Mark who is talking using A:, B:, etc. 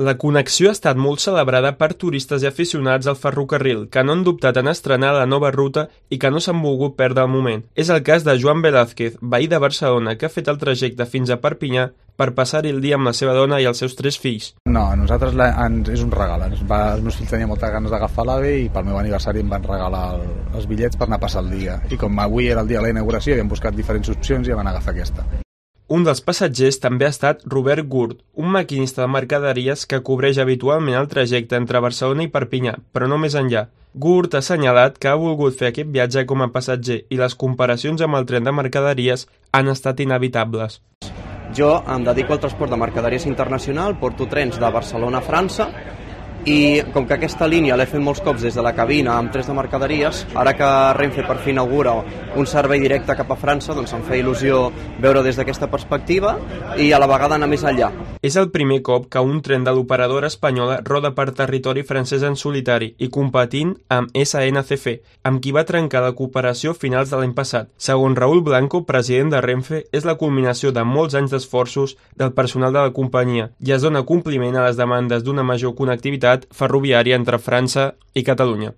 A: La connexió ha estat molt celebrada per turistes i aficionats al ferrocarril, que no han dubtat en estrenar la nova ruta i que no s'han volgut perdre el moment. És el cas de Joan Velázquez, veí de Barcelona, que ha fet el trajecte fins a Perpinyà per passar-hi el dia amb la seva dona i els seus 3 fills.
B: No, a nosaltres és un regal. Els meus fills tenien moltes ganes d'agafar l'AVE i pel meu aniversari em van regalar els bitllets per anar a passar el dia. I com avui era el dia de la inauguració, havíem buscat diferents opcions i vam agafar aquesta.
A: Un dels passatgers també ha estat Robert Gurt, un maquinista de mercaderies que cobreix habitualment el trajecte entre Barcelona i Perpinyà, però no més enllà. Gurt ha assenyalat que ha volgut fer aquest viatge com a passatger i les comparacions amb el tren de mercaderies han estat inevitables.
C: Jo em dedico al transport de mercaderies internacional, porto trens de Barcelona a França i com que aquesta línia l'he fet molts cops des de la cabina amb trens de mercaderies, ara que Renfe per fi inaugura un servei directe cap a França, doncs em feia il·lusió veure des d'aquesta perspectiva i a la vegada anar més enllà.
A: És el primer cop que un tren de l'operadora espanyola roda per territori francès en solitari i competint amb SNCF, amb qui va trencar la cooperació a finals de l'any passat. Segons Raúl Blanco, president de Renfe, és la culminació de molts anys d'esforços del personal de la companyia i es dona compliment a les demandes d'una major connectivitat ferroviària entre França i Catalunya.